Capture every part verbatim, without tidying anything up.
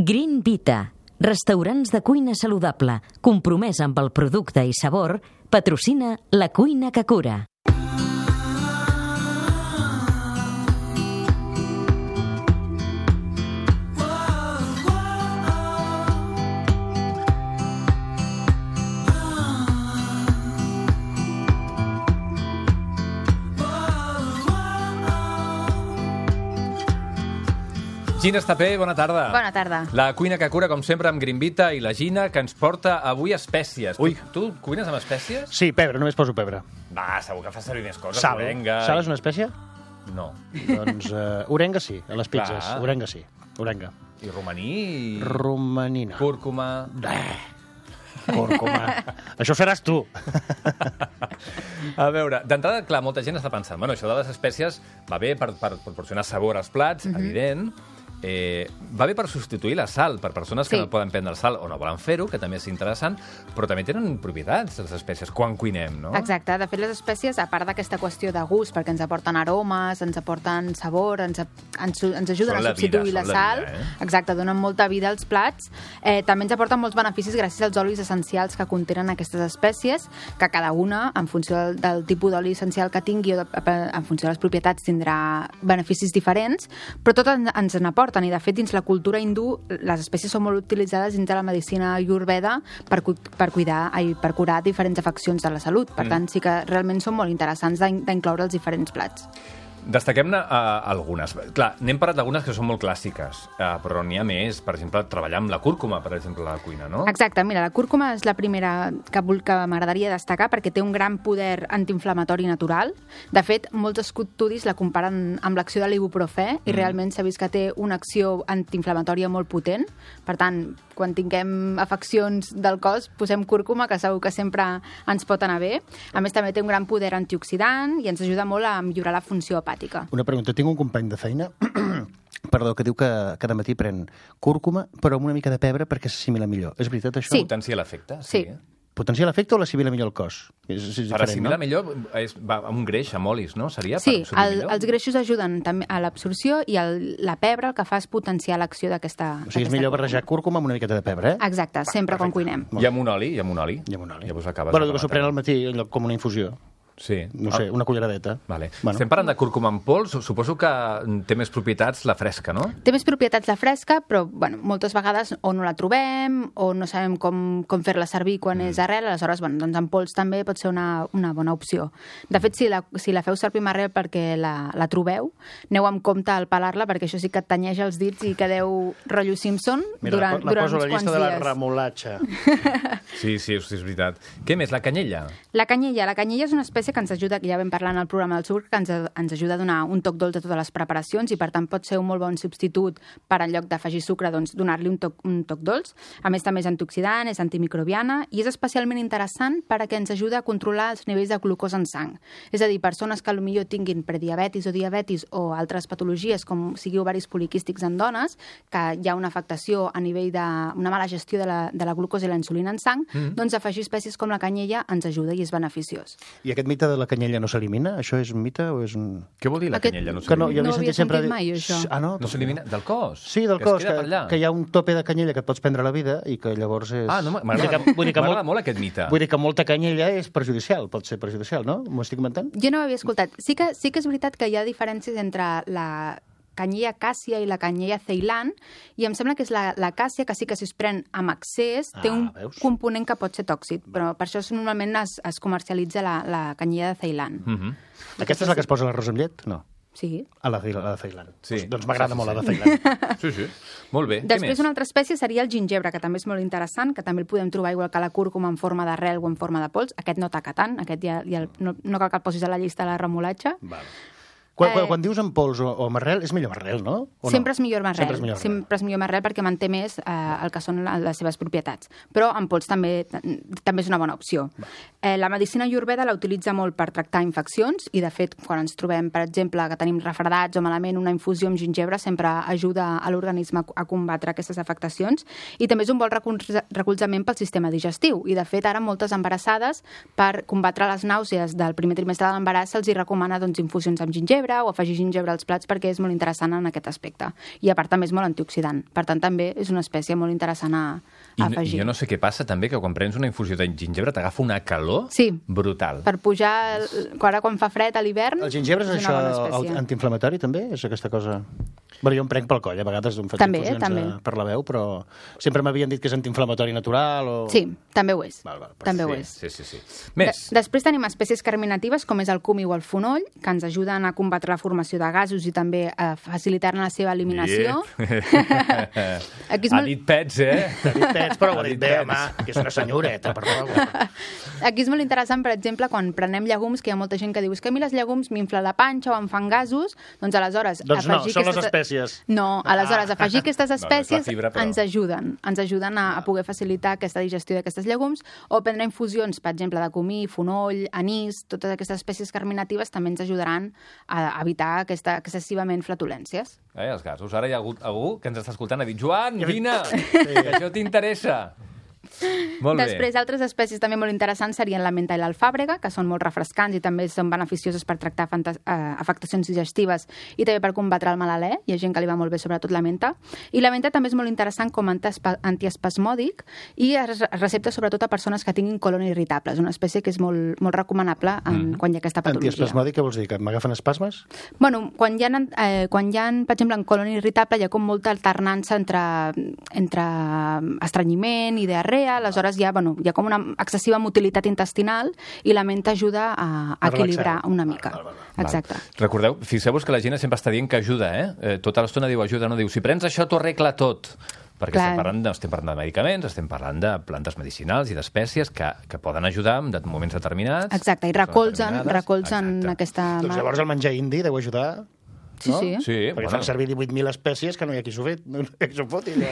Green Vita, restaurants de cuina saludable, compromès amb el producte i sabor, patrocina La Cuina que Cura. Gina Estapé, bona tarda. Bona tarda. La Cuina que Cura, com sempre, amb Green Vita i la Gina, que ens porta avui espècies. Ui. Tu, tu cuines amb espècies? Sí, pebre, només poso pebre. Va, segur que fa servir més coses. Sal. Orenga... Sal és una espècie? No. Doncs uh, orenga sí, a les pizzas. Clar. Orenga sí, orenga. I romaní... I... Romanina. Cúrcuma... Eh, cúrcuma. Això seràs tu. A veure, d'entrada, clar, molta gent està pensant, bueno, això de les espècies va bé per, per proporcionar sabor als plats, mm-hmm. evident. Eh, va bé per substituir la sal, per persones que Sí. no poden prendre el sal o no volen fer-ho, que també és interessant, però també tenen propietats, les espècies, quan cuinem, no? Exacte. De fet, les espècies, a part d'aquesta qüestió de gust, perquè ens aporten aromes, ens aporten sabor, ens, ens, ens ajuden Són a la substituir vida, la són la sal, vida, eh? exacte, donen molta vida als plats, eh, també ens aporten molts beneficis gràcies als olis essencials que contenen aquestes espècies, que cada una, en funció del, del tipus d'oli essencial que tingui o de, en funció de les propietats, tindrà beneficis diferents, però tot en, ens n'aporten, i de fet, dins la cultura hindú, les espècies són molt utilitzades dins de la medicina ayurveda per, cu per cuidar i per curar diferents afeccions de la salut. Per mm. tant, sí que realment són molt interessants d'incloure els diferents plats. Destaquem-ne uh, algunes. Clar, n'hem parlat d'algunes que són molt clàssiques, uh, però n'hi ha més. Per exemple, treballar amb la cúrcuma, per exemple, a la cuina, no? Exacte. Mira, la cúrcuma és la primera que, que m'agradaria destacar perquè té un gran poder antiinflamatori natural. De fet, molts estudis la comparen amb l'acció de l'ibuprofè i mm. realment s'ha vist que té una acció antiinflamatòria molt potent. Per tant, quan tinguem afeccions del cos, posem cúrcuma, que segur que sempre ens pot anar bé. A més, també té un gran poder antioxidant i ens ajuda molt a millorar la funció hepàtica. Una pregunta, tinc un company de feina perdó, que diu que cada matí pren cúrcuma, però amb una mica de pebre perquè s'assimila millor. És veritat, això? Sí. Potencia l'efecte? Sí. Potencia l'efecte o l'assimila millor el cos? És, és Per diferent, assimilar no? millor, és, va amb un greix, amb olis, no? Seria Sí, per absorbir el, millor? els greixos ajuden també a l'absorció i el, la pebre el que fa és potenciar l'acció d'aquesta O sigui, és millor barrejar cúrcuma amb una miqueta de pebre, eh? Exacte, sempre quan cuinem. I amb un oli, i amb un oli. I amb un oli. Llavors acabes Bueno, de que s'ho pren al matí allò com una infusió. Sí. No sé, una culleradeta. Vale. Bueno. Estem parlant de cúrcuma en pols, suposo que té més propietats la fresca, no? Té més propietats la fresca, però bueno, moltes vegades o no la trobem o no sabem com, com fer-la servir quan mm. és arrel, aleshores bueno, doncs en pols també pot ser una, una bona opció. De fet, si la, si la feu servir amb arrel perquè la, la trobeu, aneu amb compte al pelar-la perquè això sí que et tanyeja els dits i quedeu rotllo Simpson. Mira, durant, la, la durant poso a la uns llista quants de la dies. remolatxa. Sí, sí, és veritat. Què més? La canyella? La canyella. La canyella és una espècie que ens ajuda, que ja vam parlar en el programa del sucre, que ens, ens ajuda a donar un toc dolç a totes les preparacions i, per tant, pot ser un molt bon substitut per, en lloc d'afegir sucre, doncs, donar-li un toc, un toc dolç. A més, també és antioxidant, és antimicrobiana i és especialment interessant perquè ens ajuda a controlar els nivells de glucosa en sang. És a dir, persones que potser tinguin prediabetis o diabetis o altres patologies, com sigui ovaris poliquístics en dones, que hi ha una afectació a nivell d'una mala gestió de la, de la glucosa i la insulina en sang, mm. doncs afegir espècies com la canyella ens ajuda i és beneficiós. I aquest mite de la canyella no s'elimina? Això és un mite o és un... Què vol dir la Aquest- canyella? No Que no, s'elimina? jo No havia ho havia sentit sempre sentit dir- mai, això. Ah, no? No s'elimina? Del cos? Sí, del Que cos, es queda que, per allà? que hi ha un tope de canyella que et pots prendre a la vida i que llavors és... Ah, no, Vull dir m'agrada que- vull dir que m'agrada molt- molt aquest mite. Vull dir que molta canyella és perjudicial, pot ser perjudicial, no? M'ho estic inventant? Jo no ho havia escoltat. Sí que, sí que és veritat que hi ha diferències entre la canyella càssia i la canyella ceilan, i em sembla que és la, la càssia que sí que si es pren amb excés té Ah, un veus? component que pot ser tòxic, però per això normalment es, es comercialitza la, la canyella de Ceilan. Mm -hmm. Aquesta és la que es posa a l'arròs amb llet? No. Sí. A la, a la de Ceilan. Sí. Doncs, doncs m'agrada Sí, sí, molt sí. la de Ceilan. Sí, sí. Molt bé. Què Després, més? una altra espècie seria el gingebre, que també és molt interessant, que també el podem trobar igual que la cúrcuma en forma d'arrel o en forma de pols. Aquest no taca tant, aquest ja, ja no, no cal que el posis a la llista de la remolatxa. Vale. Quan, quan, Eh, quan dius en pols o, o amb arrel, és millor amb arrel, no? O Sempre no? és millor amb arrel. Sempre és millor amb arrel. Sempre és millor amb arrel perquè manté més eh, el que són les seves propietats. Però en pols també també és una bona opció. Eh, la medicina ayurveda la utilitza molt per tractar infeccions i, de fet, quan ens trobem, per exemple, que tenim refredats o malament, una infusió amb gingebre sempre ajuda a l'organisme a combatre aquestes afectacions i també és un bon recolzament pel sistema digestiu. I, de fet, ara moltes embarassades, per combatre les nàusees del primer trimestre de l'embaràs, se'ls hi recomana doncs, infusions amb gingebre gingebre o afegir gingebre als plats perquè és molt interessant en aquest aspecte. I a part també és molt antioxidant. Per tant, també és una espècie molt interessant a, a I, afegir. I jo no sé què passa també, que quan prens una infusió de gingebre t'agafa una calor sí. brutal. Per pujar, ara quan fa fred a l'hivern... El gingebre és, és això antiinflamatori, també? És aquesta cosa... Bueno, jo em prenc pel coll, a vegades em faig també, infusions també. A, per la veu, però sempre m'havien dit que és antiinflamatori natural o... Sí, també ho és. Val, val, també sí, ho és. Sí, sí, sí. Més. De després tenim espècies carminatives, com és el cumi o el fonoll, que ens ajuden a combatre la formació de gasos i també a facilitar-ne la seva eliminació. Aquí és molt... Ha dit pets, eh? Ha dit pets, però ho ha dit bé, home, que és una senyoreta, per favor. Aquí és molt interessant, per exemple, quan prenem llegums, que hi ha molta gent que diu que a mi les llegums m'infla la panxa o em fan gasos, doncs aleshores... Doncs no, són les aquestes... espècies. No, aleshores, afegir aquestes espècies no, fibra, però... ens ajuden, ens ajuden a, a poder facilitar aquesta digestió d'aquestes llegums, o prendre infusions, per exemple, de comí, fonoll, anís, totes aquestes espècies carminatives també ens ajudaran a evitar aquesta, excessivament flatulències. Eh, els gasos. Ara hi ha hagut algú que ens està escoltant, ha dit, Joan, vine, que això t'interessa. Molt Després, bé. altres espècies també molt interessants serien la menta i l'alfàbrega, que són molt refrescants i també són beneficioses per tractar afectacions digestives i també per combatre el mal alè. Hi ha gent que li va molt bé, sobretot la menta. I la menta també és molt interessant com antiespasmòdic i es recepta sobretot a persones que tinguin colon irritable. És una espècie que és molt, molt recomanable en, mm. quan hi ha aquesta patologia. Antiespasmòdic, què vols dir? Que m'agafen espasmes? Bueno, quan hi ha, eh, quan hi ha, per exemple, en colon irritable hi ha com molta alternança entre, entre estrenyiment i diarrea. Aleshores hi ha, bueno, hi ha com una excessiva motilitat intestinal i la menta ajuda a, a equilibrar una mica. Val, val, val. Exacte. Val. Recordeu, fixeu-vos que la gent sempre està dient que ajuda, eh? eh tota l'estona diu ajuda, no diu si prens això t'ho arregla tot. Perquè Clar. estem parlant, de, estem parlant de medicaments, estem parlant de plantes medicinals i d'espècies que, que poden ajudar en moments determinats. Exacte, i recolzen, recolzen Exacte. aquesta... Doncs llavors el menjar indi deu ajudar... Sí, no? sí. Sí, perquè bueno. fan servir divuit mil espècies que no hi ha qui s'ho fet, no hi ha qui s'ho foti. Ja.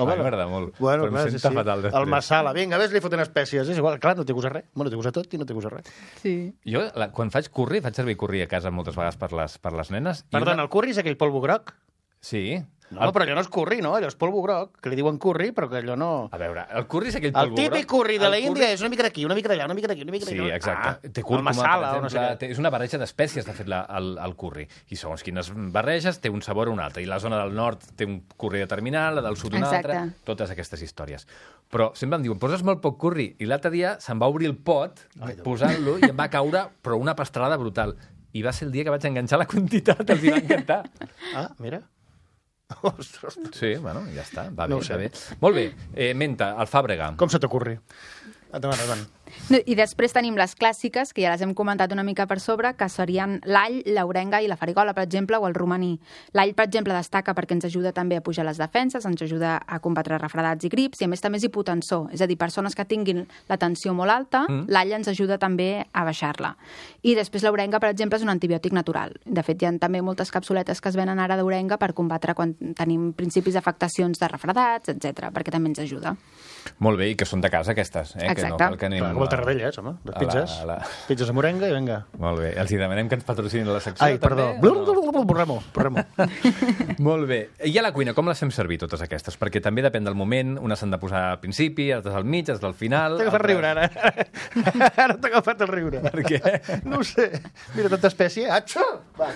Home, a mi m'agrada molt, bueno, però clar, em sí, senta sí. fatal després. El masala, vinga, ves, li foten espècies. És igual, clar, no té gust a res. Bueno, té gust a tot i no té gust a res. Sí. Jo, la, quan faig curri, faig servir curri a casa moltes vegades per les, per les nenes. Perdona, una... el curri és aquell polvo groc? Sí. No, el... però allò no és curri, no? Allò és polvo groc, que li diuen curri, però que allò no... A veure, el curri és aquell El polvo groc. típic curri de la El Índia curri... és una mica d'aquí, una mica d'allà, una mica d'aquí, una mica d'allà. Sí, exacte. Ah, té cúrcuma, el masala, per exemple, o no sé què. té, és una barreja d'espècies, de fet, la, el, el curri. I segons quines barreges té un sabor o un altre. I la zona del nord té un curri determinat, la del sud un Exacte. altre, totes aquestes històries. Però sempre em diuen, poses molt poc curri. I l'altre dia se'm va obrir el pot, posant-lo, i em va caure, però una pastrada brutal. I va ser el dia que vaig enganxar la quantitat, els hi va encantar. Ah, mira. Ostres. Sí, bueno, ja està, va bé, No ho va sé. bé. Molt bé, eh, menta, alfàbrega. Com se t'ocorri? Endavant, endavant. I després tenim les clàssiques, que ja les hem comentat una mica per sobre, que serien l'all, l'orenga i la farigola, per exemple, o el romaní. L'all, per exemple, destaca perquè ens ajuda també a pujar les defenses, ens ajuda a combatre refredats i grips, i a més també és hipotensor. És a dir, persones que tinguin la tensió molt alta, mm. l'all ens ajuda també a baixar-la. I després l'orenga, per exemple, és un antibiòtic natural. De fet, hi ha també moltes capsuletes que es venen ara d'orenga per combatre quan tenim principis d'afectacions de refredats, etcètera, perquè també ens ajuda. Molt bé, i que són de casa, aquestes. Eh? Que no cal que anem... Clar, com el Tarradellas, home, les pizzas. A la, a la... Pizzas amb orenga i vinga. Molt bé, els hi demanem que ens patrocinin la secció. Ai, perdó. No? Borrem-ho, borrem-ho. Molt bé. I a la cuina, com les fem servir, totes aquestes? Perquè també depèn del moment, unes s'han de posar al principi, altres al mig, altres al final... T'he agafat altres... riure, ara. Ara t'he agafat el riure. Per què? No ho sé. Mira, tanta espècie. Atxo! Va,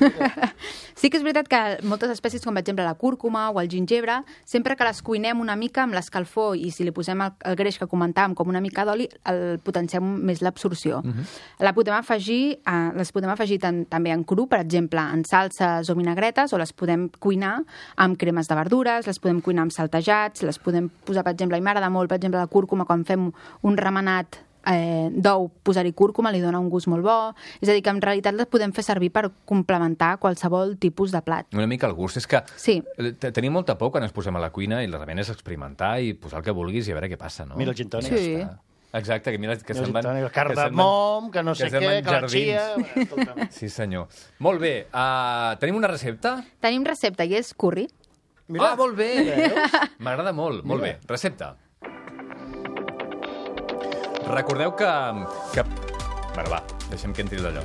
sí que és veritat que moltes espècies, com per exemple la cúrcuma o el gingebre, sempre que les cuinem una mica amb l'escalfor i si li posem el, el greix que comentàvem com una mica d'oli, el potenciem més l'absorció. Uh -huh. La podem afegir, eh, les podem afegir tan, també en cru, per exemple, en salses o vinagretes, o les podem cuinar amb cremes de verdures, les podem cuinar amb saltejats, les podem posar, per exemple, a mi m'agrada molt, per exemple, la cúrcuma, quan fem un remenat eh, d'ou, posar-hi cúrcuma, li dona un gust molt bo. És a dir, que en realitat les podem fer servir per complementar qualsevol tipus de plat. Una mica el gust. És que sí. tenim molta por quan ens posem a la cuina i la realment és experimentar i posar el que vulguis i a veure què passa, no? Mira el gin tònic. Sí. Exacte, que mira que Mira se'n van... el carn que de se'n van- mom, que no sé que se'n què, van que la jardins. xia... Sí, senyor. Molt bé, uh, tenim una recepta? Tenim recepta i és curri. Mira. Ah, molt bé! M'agrada molt, molt bé. Recepta. Recordeu que... que... Bueno, va, deixem que entri d'allò.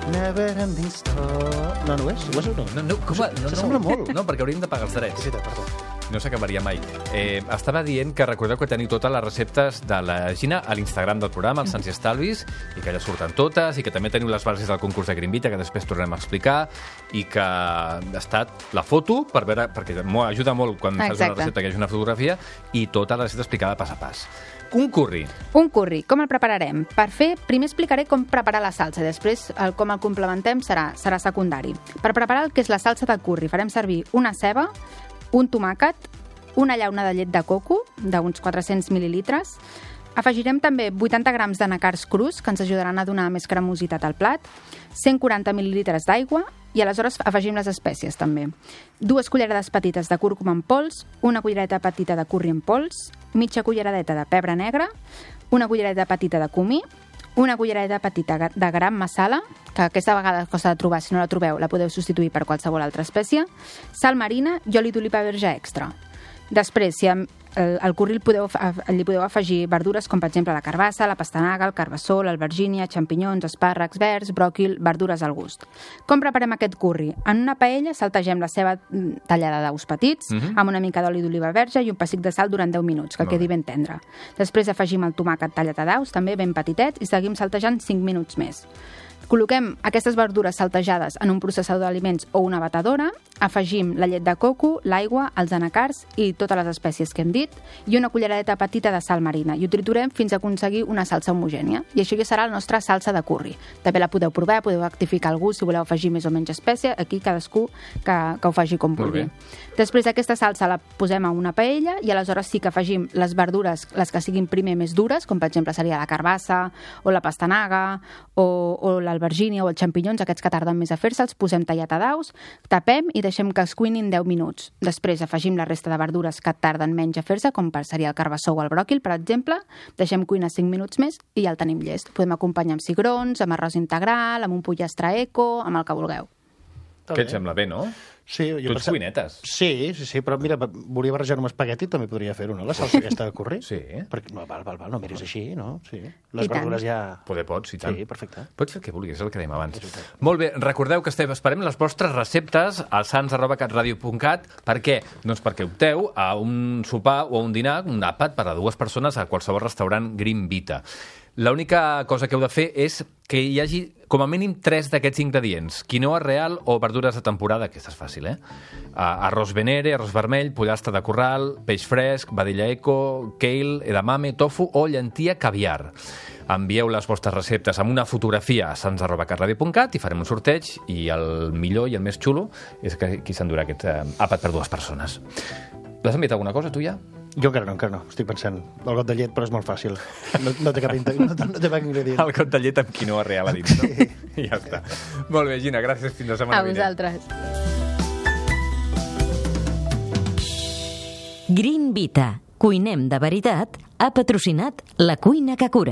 Never ending story... No, no ho és? Ho és o no? No, no, com a... No, no, S'assembla molt. No, perquè hauríem de pagar els drets. Sí, perdó. no s'acabaria mai. Eh, estava dient que recordeu que teniu totes les receptes de la Gina a l'Instagram del programa, els Sants i Estalvis, i que allà surten totes, i que també teniu les bases del concurs de Green Vita, que després tornem a explicar, i que ha estat la foto, per veure, perquè m'ho ajuda molt quan fas una recepta que hi hagi una fotografia, i tota la recepta explicada pas a pas. Un curri. Un curri. Com el prepararem? Per fer, primer explicaré com preparar la salsa, i després el, com el complementem serà, serà secundari. Per preparar el que és la salsa de curri, farem servir una ceba, un tomàquet, una llauna de llet de coco, d'uns quatre-cents mil·lilitres. Afegirem també vuitanta grams d'anacards crus, que ens ajudaran a donar més cremositat al plat, cent quaranta mil·lilitres d'aigua, i aleshores afegim les espècies també. Dues cullerades petites de cúrcuma en pols, una cullereta petita de curri en pols, mitja culleradeta de pebre negre, una cullereta petita de comí, una cullereta petita de garam masala, que aquesta vegada costa de trobar, si no la trobeu la podeu substituir per qualsevol altra espècie, sal marina i oli d'oliva verge extra. Després, si el, el curri li podeu, li podeu afegir verdures com per exemple la carbassa, la pastanaga, el carbassó, l'albergínia, xampinyons, espàrrecs verds, bròquil, verdures al gust. Com preparem aquest curri? En una paella saltegem la ceba tallada daus petits, uh-huh. amb una mica d'oli d'oliva verge i un pessic de sal durant deu minuts, que quedi ben tendre. Després afegim el tomàquet tallat a daus, també ben petitets, i seguim saltejant cinc minuts més. Col·loquem aquestes verdures saltejades en un processador d'aliments o una batedora, afegim la llet de coco, l'aigua, els anacards i totes les espècies que hem dit, i una culleradeta petita de sal marina, i ho triturem fins a aconseguir una salsa homogènia. I això ja serà la nostra salsa de curri. També la podeu provar, podeu rectificar el gust si voleu afegir més o menys espècie, aquí cadascú que, que ho faci com vulgui. Després aquesta salsa la posem a una paella i aleshores sí que afegim les verdures, les que siguin primer més dures, com per exemple seria la carbassa o la pastanaga o, o l'albergínia o els xampinyons, aquests que tarden més a fer-se, els posem tallat a daus, tapem i deixem que es cuinin deu minuts. Després afegim la resta de verdures que tarden menys a fer-se, com seria el carbassó o el bròquil, per exemple, deixem cuinar cinc minuts més i ja el tenim llest. Podem acompanyar amb cigrons, amb arròs integral, amb un pollastre eco, amb el que vulgueu. Què et sembla bé, no? Sí, jo tu ets pensava... cuinetes. Sí, sí, sí, però mira, volia barrejar un espagueti, també podria fer-ho, no? La salsa aquesta de curri. Sí. Perquè, no, val, val, val, no miris així, no? Sí. Les verdures ja... Poder pots, i tant. Sí, perfecte. Pots fer el que vulguis, és el que dèiem abans. Molt bé, recordeu que estem, esperem les vostres receptes al sans arroba catradio punt cat. Per què? Doncs perquè opteu a un sopar o a un dinar, un àpat per a dues persones a qualsevol restaurant Green Vita. L'única cosa que heu de fer és que hi hagi com a mínim tres d'aquests ingredients. Quinoa real o verdures de temporada, aquesta és fàcil, eh? Uh, arròs venere, arròs vermell, pollastre de corral, peix fresc, vedella eco, kale, edamame, tofu o llentia caviar. Envieu les vostres receptes amb una fotografia a sans arroba catradio punt cat i farem un sorteig, i el millor i el més xulo és que qui s'endurà aquest uh, àpat per dues persones. L'has enviat alguna cosa, tu ja? Jo encara no, encara no. Estic pensant. El got de llet, però és molt fàcil. No, no té cap ingredient. No, no té cap ingredient. El got de llet amb quinoa real a dins, no? I ja està. Molt bé, Gina, gràcies. Fins la setmana vinent. A vosaltres. Green Vita, cuinem de veritat, ha patrocinat La Cuina que Cura.